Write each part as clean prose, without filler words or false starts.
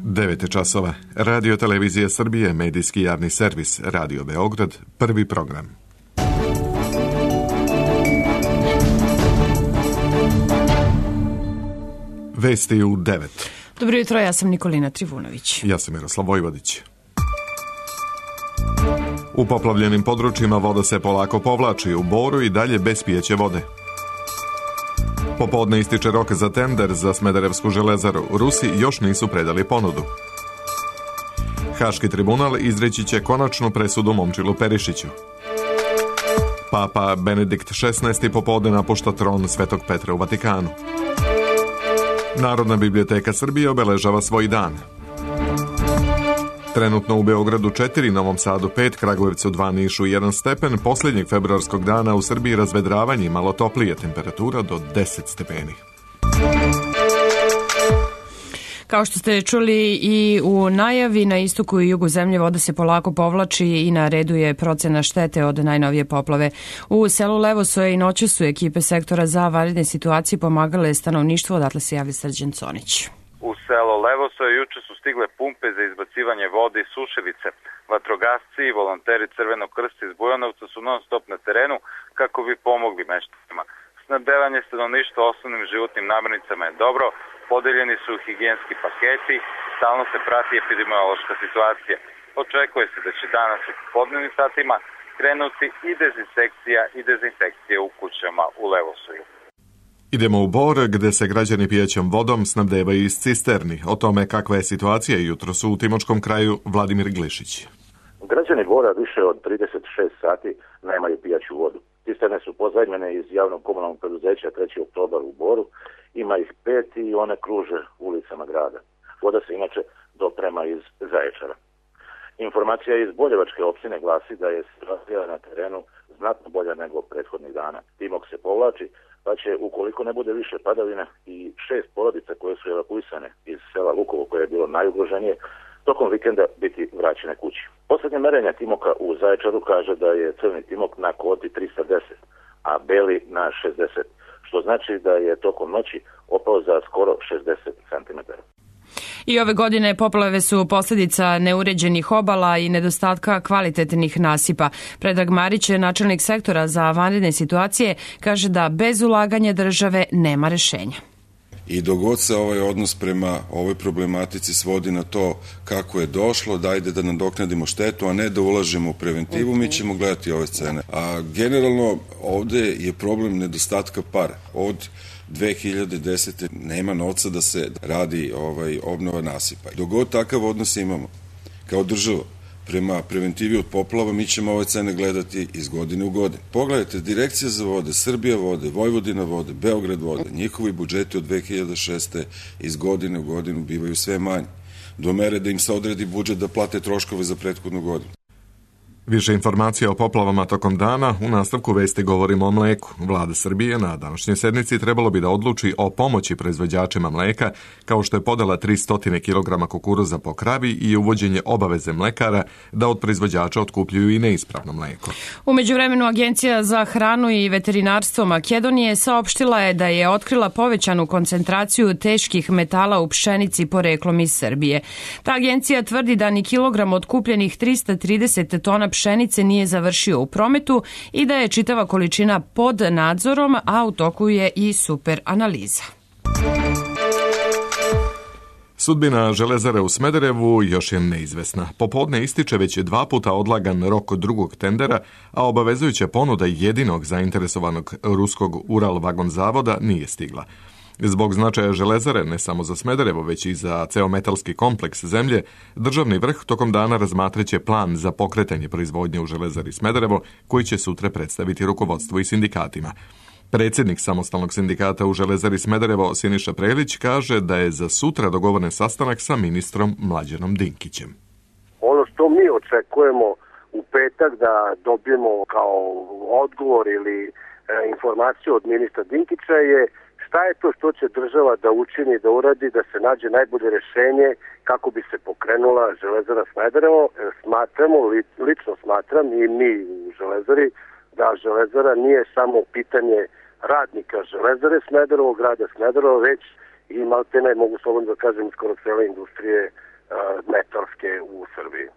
9 časova. Radio Televizija Srbije, medijski javni servis, Radio Beograd, prvi program. Vesti u 9. Dobro jutro, ja sam Nikolina Trivunović. Ja sam Miroslav Vojvodić. U poplavljenim područjima voda se polako povlači, u Boru i dalje bez pijeće vode. Popodne ističe rok za tender za Smederevsku železaru. Rusi još nisu predali ponudu. Haški tribunal izreći će konačnu presudu Momčilu Perišiću. Papa Benedikt XVI popodne napušta tron Svetog Petra u Vatikanu. Narodna biblioteka Srbije obeležava svoj dan. Trenutno u Beogradu 4, Novom Sadu 5, Kragujevcu 2, Nišu 1 stepen, posljednjeg februarskog dana u Srbiji razvedravanje i malo toplije, temperatura do 10 stepeni. Kao što ste čuli i u najavi, na istoku i jugu zemlje voda se polako povlači i na redu je procena štete od najnovije poplave. U selu Levosoje i noću su ekipe sektora za vanredne situacije pomagale stanovništvo, odatle se javlja Srđan Conić. U selo Levosoje juče su stigle pumpe za izbacivanje vode iz sušilice. Vatrogasci i volonteri Crvenog krsta iz Bujanovca su non stop na terenu kako bi pomogli meštanima. Snabdevanje stanovništva osnovnim životnim namirnicama je dobro, podeljeni su higijenski paketi, stalno se prati epidemiološka situacija. Očekuje se da će danas u popodnevnim satima krenuti i dezinsekcija i dezinfekcija u kućama u Levosoju. Idemo u Bor, gde se građani pijećom vodom snabdevaju iz cisterni. O tome kakva je situacija jutros u Timočkom kraju, Vladimir Glišić. Građani Bora više od 36 sati nemaju pijaću vodu. Cisterne su pozajmljene iz javnog komunalnog preduzeća 3. oktobar u Boru. Ima ih 5 i one kruže ulicama grada. Voda se inače doprema iz Zaječara. Informacija iz Boljevačke opštine glasi da je situacija na terenu znatno bolja nego prethodnih dana. Timok se povlači, pa će, ukoliko ne bude više padavina, i 6 porodica koje su evakuisane iz sela Lukovo, koje je bilo najugroženije, tokom vikenda biti vraćene kući. Poslednje merenja timoka u Zaječaru kaže da je crni timok na kvoti 310, a beli na 60, što znači da je tokom noći opao za skoro 60 cm. I ove godine poplave su posljedica neuređenih obala i nedostatka kvalitetnih nasipa. Predrag Marić, načelnik sektora za vanredne situacije, kaže da bez ulaganja države nema rešenja. I dogod se ovaj odnos prema ovoj problematici svodi na to kako je došlo, dajde da nadoknadimo štetu, a ne da ulažemo u preventivu, mi ćemo gledati ove scene. A generalno ovde je problem nedostatka para. Od 2010. nema novca da se radi obnova nasipa. Dogod takav odnos imamo kao država prema preventivi od poplava, mi ćemo ove cene gledati iz godine u godinu. Pogledajte, Direkcija za vode, Srbija vode, Vojvodina vode, Beograd vode, njihovi budžeti od 2006. iz godine u godinu bivaju sve manji, do mere da im se odredi budžet da plate troškove za prethodnu godinu. Više informacija o poplavama tokom dana. U nastavku vesti govorimo o mleku. Vlada Srbije na današnjoj sednici trebalo bi da odluči o pomoći proizvođačima mleka, kao što je podela 300 kg kukuruza po kravi i uvođenje obaveze mlekara da od proizvođača otkupljuju i neispravno mleko. U međuvremenu Agencija za hranu i veterinarstvo Makedonije saopštila je da je otkrila povećanu koncentraciju teških metala u pšenici poreklom iz Srbije. Ta agencija tvrdi da ni kilogram otkupljenih 330 tona pšenice nije završio u prometu i da je čitava količina pod nadzorom, a u toku je i super analiza. Sudbina železare u Smederevu još je neizvesna. Popodne ističe već 2 puta odlagan rok drugog tendera, a obavezujuća ponuda jedinog zainteresovanog ruskog Ural vagon zavoda nije stigla. Zbog značaja železare, ne samo za Smederevo, već i za ceo metalski kompleks zemlje, državni vrh tokom dana razmatraće plan za pokretanje proizvodnje u železari Smederevo, koji će sutra predstaviti rukovodstvo i sindikatima. Predsjednik samostalnog sindikata u železari Smederevo, Siniša Prelić, kaže da je za sutra dogovoren sastanak sa ministrom Mlađanom Dinkićem. Ono što mi očekujemo u petak da dobijemo kao odgovor ili informaciju od ministra Dinkića je šta je to što će država da učini, da uradi, da se nađe najbolje rešenje kako bi se pokrenula železara Smederevo. Smatramo, lično smatram i mi u železari, da železara nije samo pitanje radnika železare Smederevo, grada Smederevo, već i maltene, mogu slobodno da kažem, skoro cele industrije metalske u Srbiji.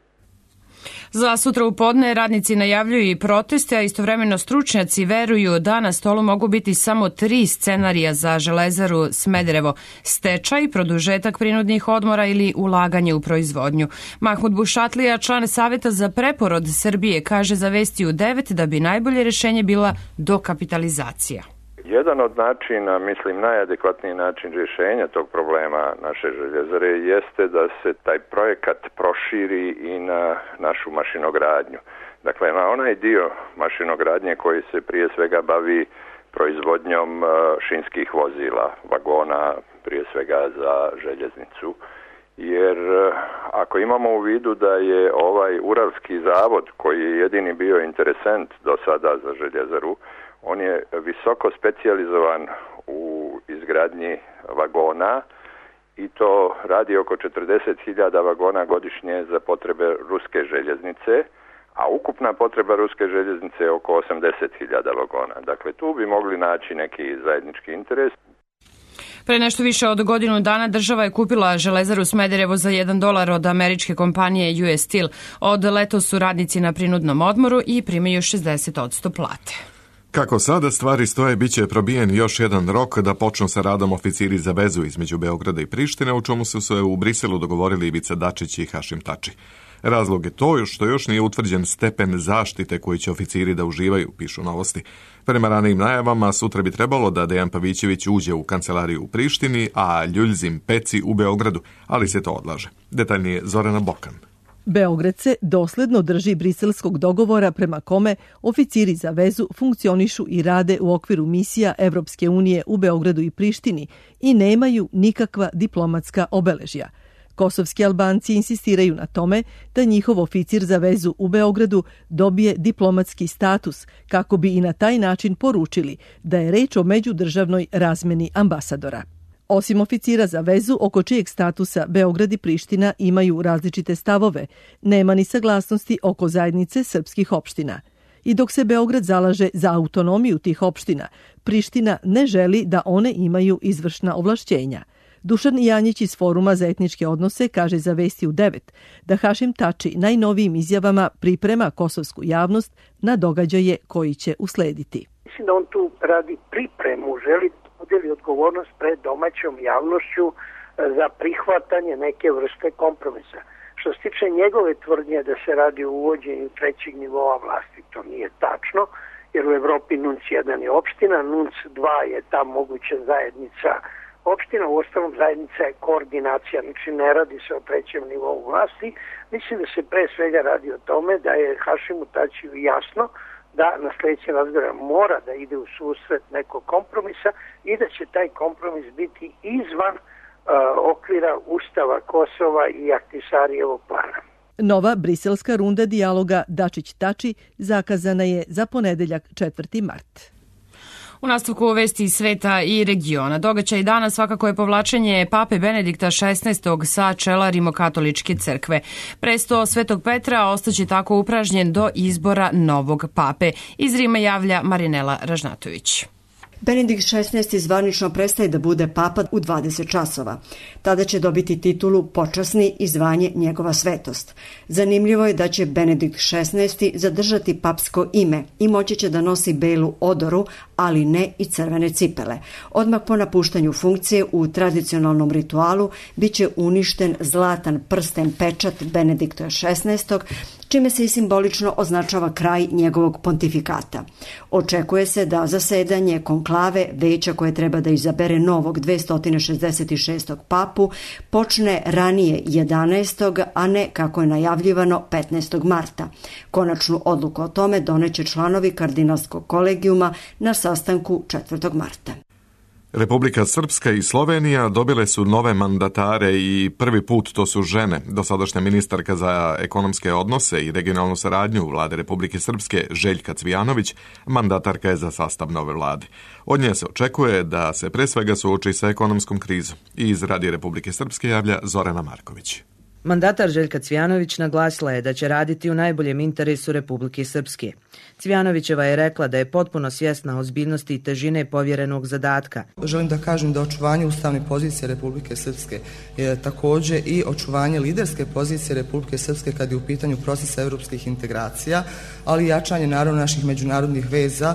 Za sutra u podne radnici najavljuju i proteste, a istovremeno stručnjaci veruju da na stolu mogu biti samo 3 scenarija za Železaru Smederevo: stečaj, produžetak prinudnih odmora ili ulaganje u proizvodnju. Mahmud Bušatlija, član Saveta za preporod Srbije, kaže za Vesti u 9 da bi najbolje rešenje bila dokapitalizacija. Jedan od načina, mislim najadekvatniji način rješenja tog problema naše željezare jeste da se taj projekat proširi i na našu mašinogradnju. Dakle, na onaj dio mašinogradnje koji se prije svega bavi proizvodnjom šinskih vozila, vagona, prije svega za željeznicu. Jer ako imamo u vidu da je ovaj Uralski zavod, koji je jedini bio interesent do sada za željezaru, on je visoko specijalizovan u izgradnji vagona i to radi oko 40.000 vagona godišnje za potrebe ruske željeznice, a ukupna potreba ruske željeznice je oko 80.000 vagona. Dakle, tu bi mogli naći neki zajednički interes. Pre nešto više od godinu dana država je kupila Železaru Smederevo za $1 od američke kompanije US Steel. Od letos su radnici na prinudnom odmoru i primaju 60% plate. Kako sada stvari stoje, bit će probijen još jedan rok da počnu sa radom oficiri za vezu između Beograda i Prištine, u čemu su se u Briselu dogovorili Ivica Dačić i Hašim Tači. Razlog je to što još nije utvrđen stepen zaštite koji će oficiri da uživaju, pišu Novosti. Prema ranijim najavama, sutra bi trebalo da Dejan Pavićević uđe u kancelariju u Prištini, a Ljuljzim Peci u Beogradu, ali se to odlaže. Detaljnije Zorana Bokan. Beograd se dosledno drži briselskog dogovora prema kome oficiri za vezu funkcionišu i rade u okviru misija Evropske unije u Beogradu i Prištini i nemaju nikakva diplomatska obeležja. Kosovski Albanci insistiraju na tome da njihov oficir za vezu u Beogradu dobije diplomatski status kako bi i na taj način poručili da je reč o međudržavnoj razmeni ambasadora. Osim oficira za vezu, oko čijeg statusa Beograd i Priština imaju različite stavove, nema ni saglasnosti oko zajednice srpskih opština. I dok se Beograd zalaže za autonomiju tih opština, Priština ne želi da one imaju izvršna ovlašćenja. Dušan Janjić iz Foruma za etničke odnose kaže za Vesti u 9 da Hašim Tači najnovijim izjavama priprema kosovsku javnost na događaje koji će uslediti. Mislim da on tu radi pripremu, želi udjeli odgovornost pred domaćom javnošću za prihvatanje neke vrste kompromisa. Što se tiče njegove tvrdnje da se radi o uvođenju trećeg nivoa vlasti, to nije tačno, jer u Evropi NUNC 1 je opština, NUNC 2 je ta moguća zajednica opština, u ostalom zajednica je koordinacija, znači ne radi se o trećem nivou vlasti. Mislim da se pre svega radi o tome da je Hašimu Tačiju jasno da na sljedećem razgovoru mora da ide u susret nekog kompromisa i da će taj kompromis biti izvan okvira Ustava Kosova i Ahtisarijevog plana. Nova briselska runda dijaloga Dačić-Tači zakazana je za ponedeljak 4. mart. U nastavku vesti iz sveta i regiona. Događaj dana svakako je povlačenje pape Benedikta XVI. Sa čela Rimokatoličke crkve. Presto Svetog Petra ostaće tako upražnjen do izbora novog pape. Iz Rima javlja Marinela Ražnatović. Benedikt XVI. Zvanično prestaje da bude papa u 20 časova. Tada će dobiti titulu počasni i zvanje njegova svetost. Zanimljivo je da će Benedikt XVI. Zadržati papsko ime i moći će da nosi belu odoru, ali ne i crvene cipele. Odmah po napuštanju funkcije u tradicionalnom ritualu biće uništen zlatan prsten pečat Benedikta XVI., čime se i simbolično označava kraj njegovog pontifikata. Očekuje se da zasedanje konklave veća koje treba da izabere novog 266. papu počne ranije 11. a ne kako je najavljivano 15. marta. Konačnu odluku o tome doneće članovi kardinalskog kolegijuma na sastanku 4. marta. Republika Srpska i Slovenija dobile su nove mandatare i prvi put to su žene. Dosadašnja ministarka za ekonomske odnose i regionalnu saradnju vlade Republike Srpske Željka Cvijanović mandatarka je za sastav nove vlade. Od nje se očekuje da se pre svega suoči sa ekonomskom krizom. I iz Radija Republike Srpske javlja Zorana Marković. Mandatar Željka Cvijanović naglasila je da će raditi u najboljem interesu Republike Srpske. Cvijanovićeva je rekla da je potpuno svjesna ozbiljnosti i težine povjerenog zadatka. Želim da kažem da očuvanje ustavne pozicije Republike Srpske je također i očuvanje liderske pozicije Republike Srpske kad je u pitanju procesa evropskih integracija, ali i jačanje naravno naših međunarodnih veza,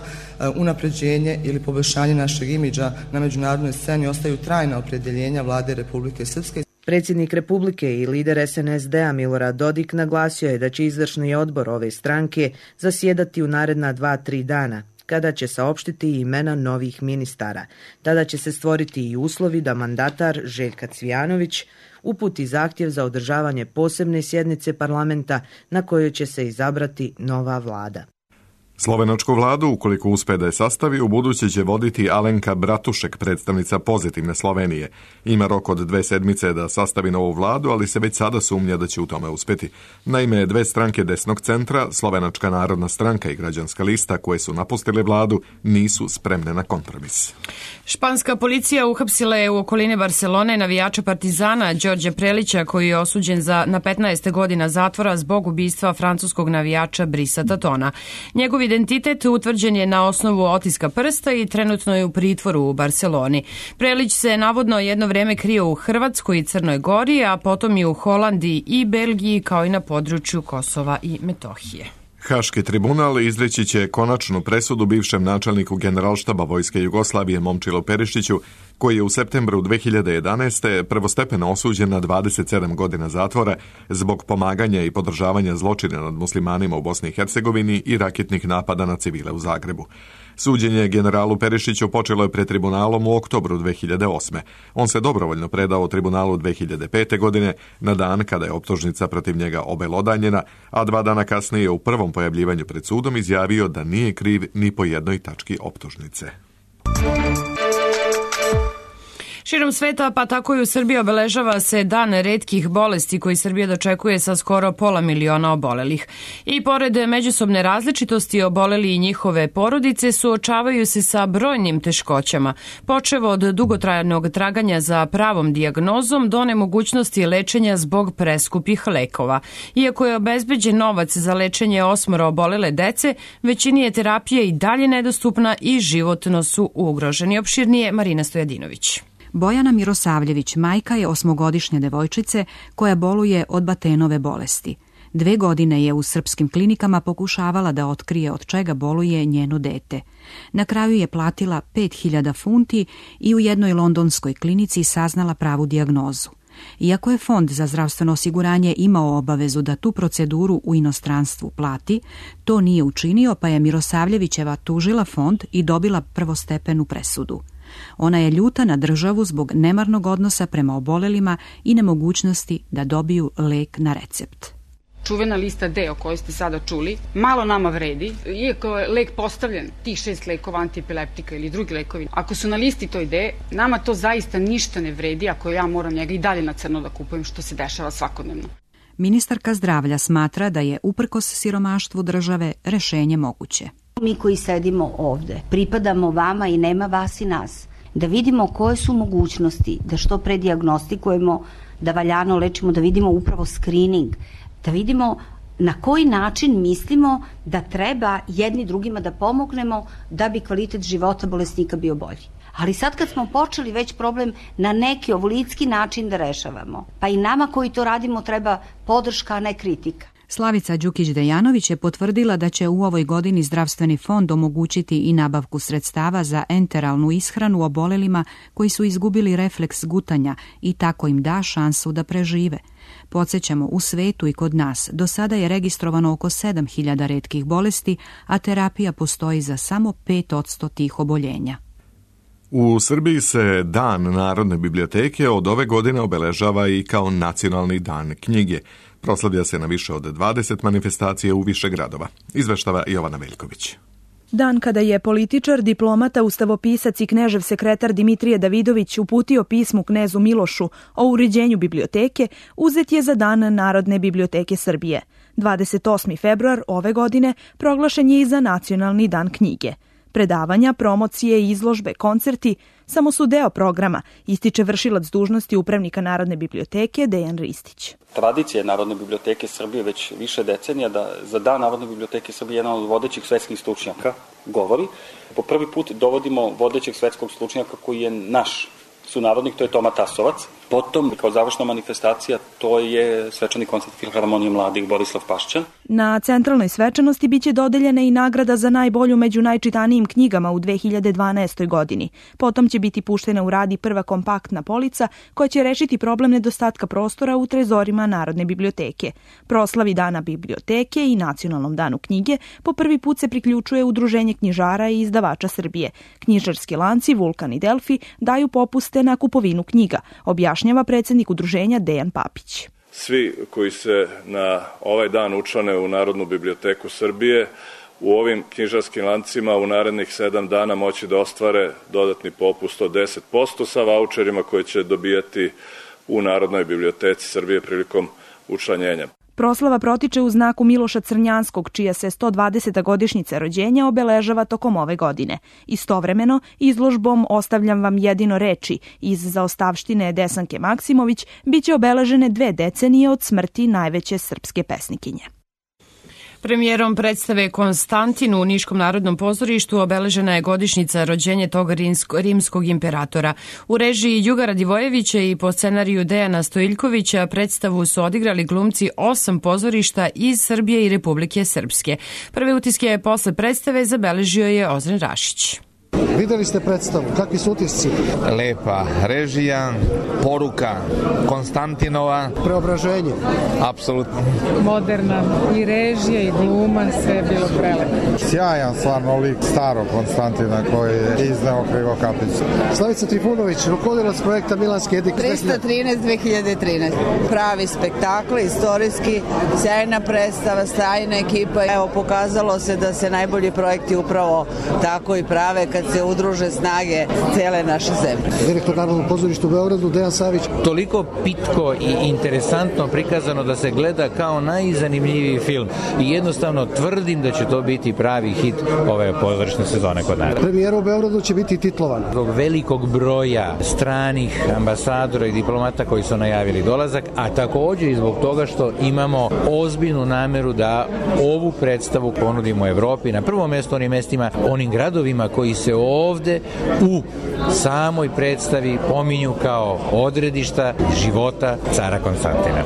unapređenje ili poboljšanje našeg imidža na međunarodnoj sceni ostaju trajna opredjeljenja vlade Republike Srpske. Predsjednik Republike i lider SNSD-a Milorad Dodik naglasio je da će izvršni odbor ove stranke zasjedati u naredna 2-3 dana, kada će saopštiti imena novih ministara. Tada će se stvoriti i uslovi da mandatar Željka Cvijanović uputi zahtjev za održavanje posebne sjednice parlamenta na kojoj će se izabrati nova vlada. Slovenačku vladu, ukoliko uspe da je sastavi, u buduće će voditi Alenka Bratušek, predstavnica Pozitivne Slovenije. Ima rok od 2 sedmice da sastavi novu vladu, ali se već sada sumnja da će u tome uspjeti. Naime, 2 stranke desnog centra, Slovenačka narodna stranka i Građanska lista, koje su napustile vladu, nisu spremne na kompromis. Španska policija uhapsila je u okolini Barcelone navijača Partizana Đorđe Prelića, koji je osuđen na 15 godina zatvora zbog ubistva francuskog navijača Brisa Tatona. Njegov identitet utvrđen je na osnovu otiska prsta i trenutno je u pritvoru u Barceloni. Prelić se navodno jedno vrijeme krio u Hrvatskoj i Crnoj Gori, a potom i u Holandiji i Belgiji, kao i na području Kosova i Metohije. Haški tribunal izreći će konačnu presudu bivšem načelniku Generalštaba Vojske Jugoslavije Momčilu Perišiću, koji je u septembru 2011. prvostepeno osuđen na 27 godina zatvora zbog pomaganja i podržavanja zločina nad muslimanima u Bosni i Hercegovini i raketnih napada na civile u Zagrebu. Suđenje generalu Perišiću počelo je pred tribunalom u oktobru 2008. On se dobrovoljno predao tribunalu 2005. godine, na dan kada je optužnica protiv njega obelodanjena, a 2 dana kasnije u prvom pojavljivanju pred sudom izjavio da nije kriv ni po jednoj tački optužnice. Širom sveta, pa tako i u Srbiji, obeležava se Dan retkih bolesti koji Srbija dočekuje sa skoro 500 miliona obolelih. I pored međusobne različitosti, oboleli i njihove porodice suočavaju se sa brojnim teškoćama, počev od dugotrajnog traganja za pravom dijagnozom do nemogućnosti lečenja zbog preskupih lekova. Iako je obezbeđen novac za lečenje 8 obolele dece, većini je terapija i dalje nedostupna i životno su ugroženi. Opširnije Marina Stojadinović. Bojana Mirosavljević majka je 8-godišnje devojčice koja boluje od Batenove bolesti. 2 godine je u srpskim klinikama pokušavala da otkrije od čega boluje njeno dete. Na kraju je platila 5000 funti i u jednoj londonskoj klinici saznala pravu dijagnozu. Iako je Fond za zdravstveno osiguranje imao obavezu da tu proceduru u inostranstvu plati, to nije učinio, pa je Mirosavljevićeva tužila fond i dobila prvostepenu presudu. Ona je ljuta na državu zbog nemarnog odnosa prema obolelima i nemogućnosti da dobiju lek na recept. Čuvena lista D o kojoj ste sada čuli, malo nama vredi, iako je lek postavljen, tih 6 lekova antiepileptika ili drugi lekovi. Ako su na listi toj D, nama to zaista ništa ne vredi ako ja moram njega i dalje na crno da kupujem, što se dešava svakodnevno. Ministarka zdravlja smatra da je uprkos siromaštvu države rešenje moguće. Mi koji sedimo ovde, pripadamo vama i nema vas i nas. Da vidimo koje su mogućnosti, da što pre dijagnostikujemo, da valjano lečimo, da vidimo upravo screening, da vidimo na koji način mislimo da treba jedni drugima da pomognemo da bi kvalitet života bolesnika bio bolji. Ali sad kad smo počeli već problem na neki ovolitski način da rešavamo, pa i nama koji to radimo treba podrška, a ne kritika. Slavica Đukić-Dejanović je potvrdila da će u ovoj godini zdravstveni fond omogućiti i nabavku sredstava za enteralnu ishranu obolelima koji su izgubili refleks gutanja i tako im da šansu da prežive. Podsjećamo, u svetu i kod nas do sada je registrovano oko 7000 retkih bolesti, a terapija postoji za samo 5% tih oboljenja. U Srbiji se Dan Narodne biblioteke od ove godine obeležava i kao Nacionalni dan knjige. Proslavlja se na više od 20 manifestacija u više gradova. Izveštava Jovana Veljković. Dan kada je političar, diplomata, ustavopisac i knežev sekretar Dimitrije Davidović uputio pismu knezu Milošu o uređenju biblioteke, uzet je za Dan Narodne biblioteke Srbije. 28. februar ove godine proglašen je i za Nacionalni dan knjige. Predavanja, promocije, izložbe, koncerti samo su deo programa, ističe vršilac dužnosti upravnika Narodne biblioteke Dejan Ristić. Tradicija Narodne biblioteke Srbije već više decenija da za Dan Narodne biblioteke Srbije jedan od vodećih svetskih stručnjaka govori. Po prvi put dovodimo vodećeg svetskog stručnjaka koji je naš sunarodnik, to je Toma Tasovac. Potom, kao završna manifestacija, to je svečani koncert Filharmonije mladih Borislav Pašćan. Na centralnoj svečanosti biće dodeljena i nagrada za najbolju među najčitanijim knjigama u 2012. godini. Potom će biti puštena u rad i prva kompaktna polica koja će rešiti problem nedostatka prostora u trezorima Narodne biblioteke. Proslavi Dana biblioteke i Nacionalnom danu knjige po prvi put se priključuje Udruženje knjižara i izdavača Srbije. Knjižarski lanci Vulkan i Delfi daju popuste na kupovinu knjiga, objašnjava predsednik udruženja Dejan Papić. Svi koji se na ovaj dan učlane u Narodnu biblioteku Srbije u ovim knjižarskim lancima u narednih 7 dana moći da ostvare dodatni popust od 10% sa vaučerima koje će dobijati u Narodnoj biblioteci Srbije prilikom učlanjenja. Proslava protiče u znaku Miloša Crnjanskog, čija se 120. godišnjica rođenja obeležava tokom ove godine. Istovremeno, izložbom Ostavljam vam jedino reči iz zaostavštine Desanke Maksimović biće obeležene 2 decenije od smrti najveće srpske pesnikinje. Premijerom predstave Konstantin u Niškom narodnom pozorištu obeležena je godišnjica rođenja tog rimskog imperatora. U režiji Juga Radivojevića i po scenariju Dejana Stojiljkovića predstavu su odigrali glumci 8 pozorišta iz Srbije i Republike Srpske. Prve utiske posle predstave zabeležio je Ozren Rašić. Videli ste predstavu, kakvi su utisci? Lepa režija, poruka Konstantinova. Preobraženje? Apsolutno. Moderna i režija i gluma, sve je bilo prelepo. Sjajan stvarno lik starog Konstantina koji je izneo Krivokapicu. Slavica Trifunović, rukovodilac projekta Milanski Edik. 313-2013. Pravi spektakl, istorijski, sjajna predstava, sjajna ekipa. Evo, pokazalo se da se najbolji projekti upravo tako i prave kad se udruže snage cele naše zemlje. Direktor Narodnog pozorišta u Beogradu, Dejan Savić. Toliko pitko i interesantno prikazano da se gleda kao najzanimljiviji film i jednostavno tvrdim da će to biti pravi hit ove pozorišne sezone kod nas. Premijera u Beogradu će biti titlovana. Zbog velikog broja stranih ambasadora i diplomata koji su najavili dolazak, a takođe i zbog toga što imamo ozbiljnu nameru da ovu predstavu ponudimo Evropi, na prvom mestu onim mestima, onim gradovima koji se ovde u samoj predstavi pominju kao odredišta života cara Konstantina.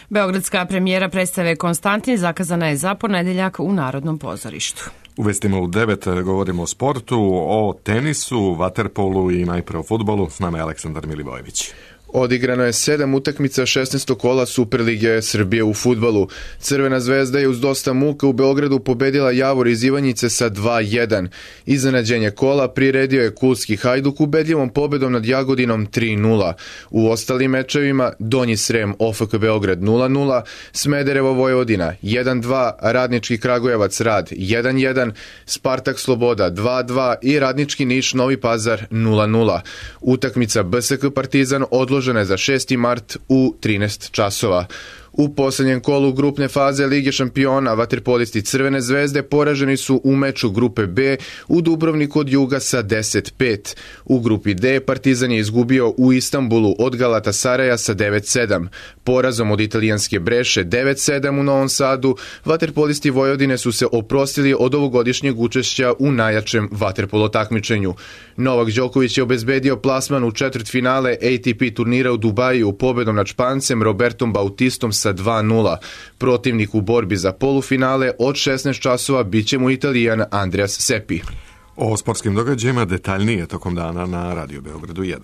Beogradska premijera predstave Konstantin zakazana je za ponedeljak u Narodnom pozorištu. U vestima u 9 govorimo o sportu, o tenisu, vaterpolu i najpre o fudbalu. S nama je Aleksandar Milivojević. Odigrano je 7 utakmica 16. kola Superlige Srbije u fudbalu. Crvena zvezda je uz dosta muka u Beogradu pobedila Javor iz Ivanjice sa 2-1. Iznenađenje kola priredio je Kulski Hajduk ubedljivom pobedom nad Jagodinom 3-0. U ostalim mečevima Donji Srem OFK Beograd 0-0, Smederevo Vojvodina 1-2, Radnički Kragujevac Rad 1-1, Spartak Sloboda 2-2 i Radnički Niš Novi Pazar 0-0. Utakmica BSK Partizan odložena je za 6. mart u 13 časova. U poslednjem kolu grupne faze Lige šampiona vaterpolisti Crvene zvezde poraženi su u meču grupe B u Dubrovniku od Juga sa 10-5. U grupi D Partizan je izgubio u Istanbulu od Galatasaraja sa 9-7. Porazom od italijanske Breše 9-7 u Novom Sadu, vaterpolisti Vojvodine su se oprostili od ovogodišnjeg učešća u najjačem vaterpolo takmičenju. Novak Đoković je obezbedio plasman u četvrtfinale ATP turnira u Dubaju pobedom nad Špancem Robertom Bautistom sa 2-0. Protivnik u borbi za polufinale od 16 časova bit će mu Italijan Andreas Seppi. O sportskim događajima detaljnije tokom dana na Radio Beogradu 1.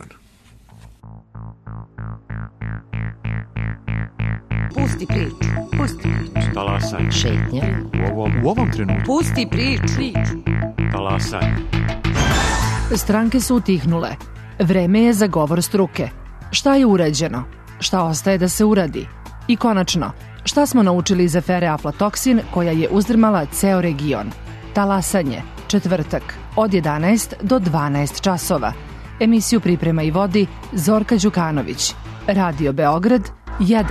Pusti priču. Pusti priču. Talasaj. Šetnja. U ovom trenutku. Pusti priču. Talasaj. Stranke su utihnule. Vreme je za govor struke. Šta je urađeno? Šta ostaje da se uradi? I konačno, šta smo naučili iz afere aflatoksin koja je uzdrmala ceo region? Talasanje, četvrtak, od 11 do 12 časova. Emisiju priprema i vodi Zorka Đukanović. Radio Beograd 1.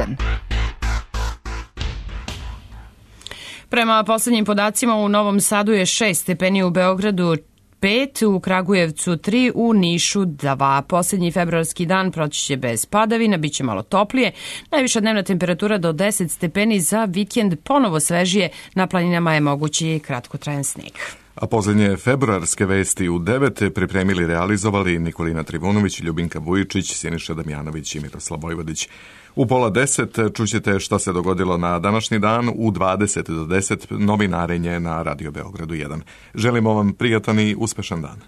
Prema poslednjim podacima u Novom Sadu je 6 stepeni, u Beogradu 5, u Kragujevcu 3, u Nišu 2. Posljednji februarski dan proći će bez padavina, bit će malo toplije. Najviša dnevna temperatura do 10 stepeni, za vikend ponovo svežije, na planinama je mogući kratkotrajan sneg. A posljednje februarske vesti u 9 pripremili, realizovali Nikolina Trivunović, Ljubinka Vujičić, Siniša Damjanović i Miroslav Vojvodić. U 9:30 čućete šta se dogodilo na današnji dan, u 20 do 10 novinarenje na Radio Beogradu 1. Želimo vam prijatan i uspešan dan.